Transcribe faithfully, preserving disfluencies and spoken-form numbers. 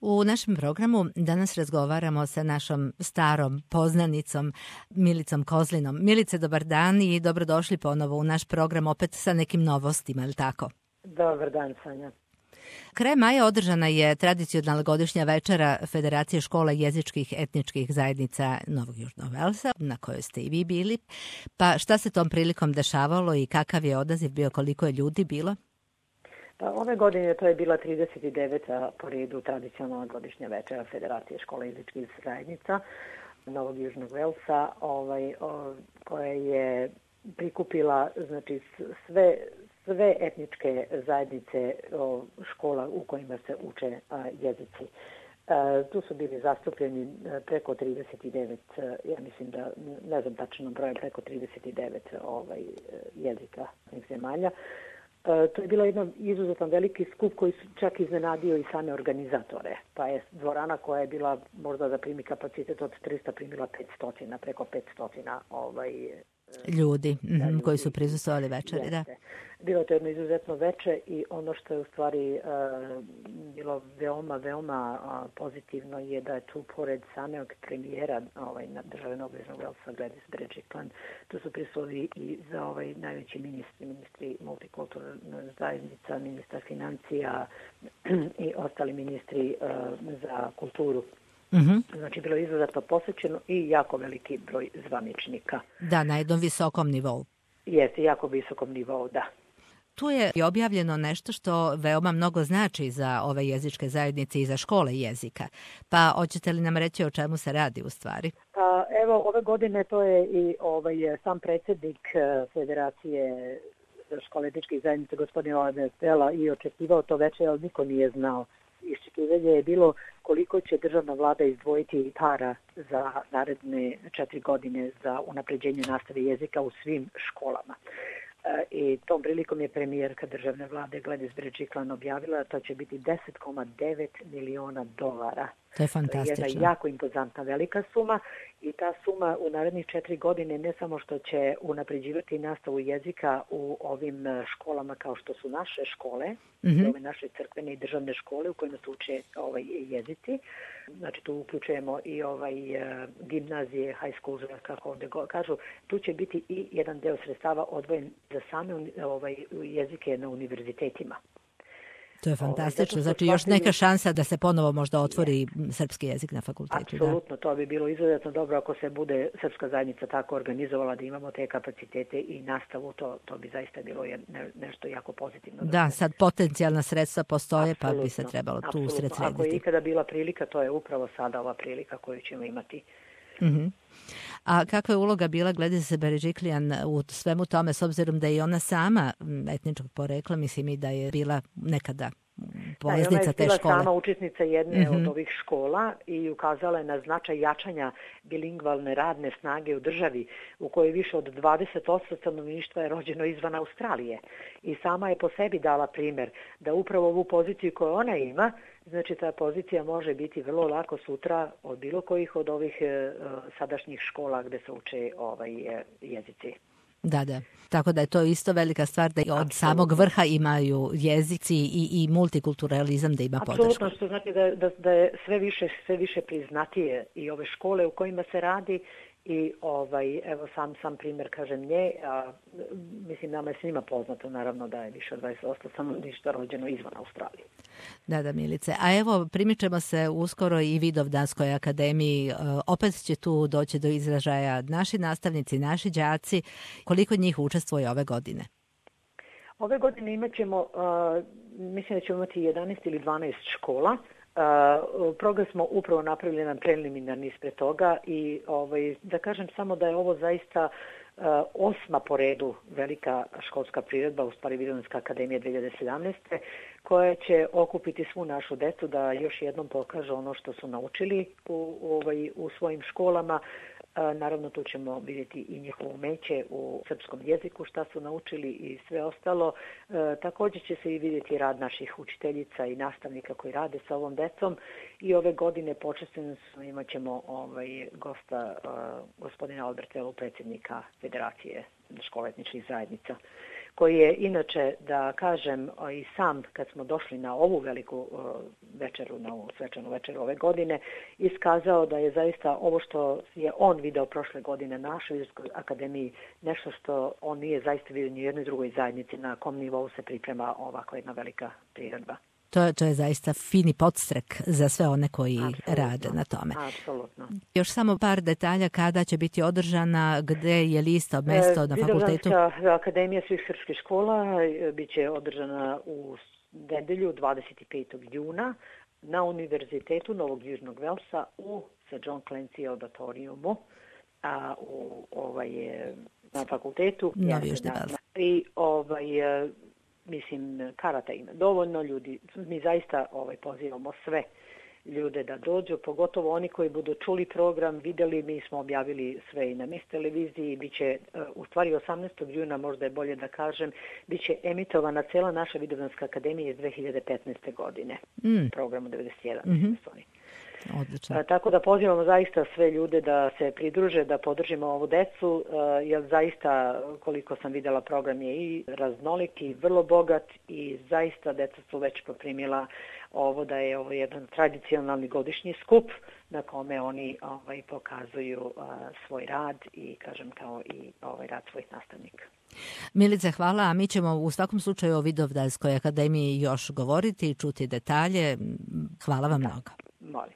U našem programu danas razgovaramo sa našom starom poznanicom Milicom Kozlinom. Milice, dobar dan i dobrodošli ponovo u naš program opet sa nekim novostima, ili tako? Dobar dan, Sanja. Kraj maja održana je tradicionalna godišnja večera Federacije škola jezičkih etničkih zajednica Novog Južnog Velsa, na kojoj ste i vi bili. Pa šta se tom prilikom dešavalo i kakav je odaziv bio, koliko je ljudi bilo? Pa ove godine to je bila trideset deveta po redu tradicionalna godišnja večera Federacije škola jezičkih zajednica Novog Južnog Velsa, ovaj, o, koja je prikupila znači, sve sve etničke zajednice o, škola u kojima se uče a, jezici. E, tu su bili zastupljeni preko trideset devet, ja mislim da, ne znam tačno broj, preko trideset devet ovaj, jezika zemalja. E, to je bila jedna izuzetno veliki skup koji su čak iznenadio i same organizatore. Pa je dvorana koja je bila možda da primi kapacitet od trista primila petsto, preko petsto ovaj, ljudi, da, ljudi koji su prisustvovali večeri, da. Bilo je to jedno izuzetno veče i ono što je u stvari uh, bilo veoma, veoma uh, pozitivno je da je tu pored samog premijera ovaj, na države Novog Južnog Velsa, Gladys Berejiklian, tu su prisutni i za ovaj najveći ministri, ministri multikulturalne zajednica, ministar financija i ostali ministri uh, za kulturu. Mm-hmm. Znači, bilo je izuzetno posvećeno i jako veliki broj zvaničnika. Da, na jednom visokom nivou. Jeste, jako visokom nivou, da. Tu je i objavljeno nešto što veoma mnogo znači za ove jezičke zajednice i za škole jezika. Pa hoćete li nam reći o čemu se radi u stvari? Pa evo, ove godine to je i ovaj, sam predsjednik Federacije škole jezičkih zajednica, gospodin Oliver Stella, i očekivao to veče, ali niko nije znao. Iščekivanje je bilo koliko će državna vlada izdvojiti para za naredne četiri godine za unapređenje nastave jezika u svim školama. E, I tom prilikom je premijerka državne vlade Gladys Berejiklian objavila da to će biti deset zarez devet miliona dolara. To je fantastično. To je jedna jako impozantna velika suma i ta suma u narednih četiri godine ne samo što će unapređivati nastavu jezika u ovim školama kao što su naše škole, mm-hmm. ove naše crkvene i državne škole u kojima se uče ovaj, jezici. Znači tu uključujemo i ovaj gimnazije, high schools, kako ovdje kažu. Tu će biti i jedan deo sredstava odvojen za same ovaj, jezike na univerzitetima. To je fantastično. Znači još neka šansa da se ponovo možda otvori srpski jezik na fakultetu. Apsolutno, to bi bilo izuzetno dobro ako se bude srpska zajednica tako organizovala da imamo te kapacitete i nastavu, to, to bi zaista bilo ne, nešto jako pozitivno. Da, sad potencijalna sredstva postoje, apsolutno, pa bi se trebalo tu usred srediti. Ako je ikada bila prilika, to je upravo sada ova prilika koju ćemo imati. Mm-hmm. A kakva je uloga bila Gladys Berejiklian u svemu tome, s obzirom da je ona sama etničkog porekla, mislim i da je bila nekada polaznica te škole? Da, ona je bila sama učesnica jedne mm-hmm. od ovih škola i ukazala je na značaj jačanja bilingvalne radne snage u državi u kojoj više od dvadeset posto stanovništva je rođeno izvan Australije. I sama je po sebi dala primjer da upravo ovu poziciju koju ona ima, znači ta pozicija može biti vrlo lako sutra od bilo kojih od ovih e, sadašnjih škola gde se uče ovaj, e, jezici. Da, da. Tako da je to isto velika stvar da od Absolutno. Samog vrha imaju jezici i, i multikulturalizam da ima podršku. Apsolutno, što znači da, da, da je sve više, sve više priznatije i ove škole u kojima se radi i ovaj, evo sam, sam primjer kažem nje, a, mislim nama je svima poznato naravno da je više od dvadeset posto stanovništva rođeno izvan Australije. Da, da, Milice. A evo, primičemo se uskoro i Vidovdanskoj akademiji. Opet će tu doći do izražaja naši nastavnici, naši đaci. Koliko njih učestvuje ove godine? Ove godine imat ćemo, uh, mislim da ćemo imati jedanaest ili dvanaest škola. Uh, program smo upravo napravili jedan preliminarni ispred toga i ovaj, da kažem samo da je ovo zaista uh, osma po redu velika školska priredba, u stvari Vidovdanska akademija dve hiljade sedamnaeste. koja će okupiti svu našu decu da još jednom pokažu ono što su naučili u, ovaj, u svojim školama. A, naravno, tu ćemo vidjeti i njihovo umeće u srpskom jeziku, šta su naučili i sve ostalo. E, također će se i vidjeti rad naših učiteljica i nastavnika koji rade sa ovom decom. I ove godine počesteno imat ćemo ovaj, gosta, a, gospodina Albertelu, predsjednika Federacije škola etničkih zajednica, koji je inače, da kažem, i sam kad smo došli na ovu veliku večeru, na ovu svečanu večeru ove godine, iskazao da je zaista ovo što je on video prošle godine na našoj Vizirskoj akademiji nešto što on nije zaista vidio ni u jednoj drugoj zajednici na kom nivou se priprema ovako jedna velika priredba. To je, to je zaista fini podstrek za sve one koji Absolutno. Rade na tome. Apsolutno. Još samo par detalja kada će biti održana, gde je lista, mesto e, na fakultetu? Vidovdanska akademija svih srpskih škola biće održana u nedelju dvadeset petog juna na Univerzitetu Novog Južnog Velsa u Sir John Clancy auditoriumu, a u ovaj, na fakultetu. Novi Južni Vels. I ovaj... Mislim, karata ima dovoljno ljudi. Mi zaista ovaj, pozivamo sve ljude da dođu, pogotovo oni koji budu čuli program, videli, mi smo objavili sve i na Mis televiziji, biće, u stvari osamnaestog juna, možda je bolje da kažem, biće emitovana cela naša Vidovdanska akademija iz dve hiljade petnaeste. godine, mm. programu devedeset jedan. Mm-hmm. Odlično. Tako da pozivamo zaista sve ljude da se pridruže, da podržimo ovu decu, jer zaista, koliko sam videla, program je i raznolik i vrlo bogat i zaista deca su već poprimila ovo da je ovo jedan tradicionalni godišnji skup na kome oni ovaj, pokazuju a, svoj rad i, kažem, kao i ovaj rad svojih nastavnika. Milice, hvala, a mi ćemo u svakom slučaju o Vidovdanskoj akademiji još govoriti i čuti detalje. Hvala vam da. Mnogo. Molim.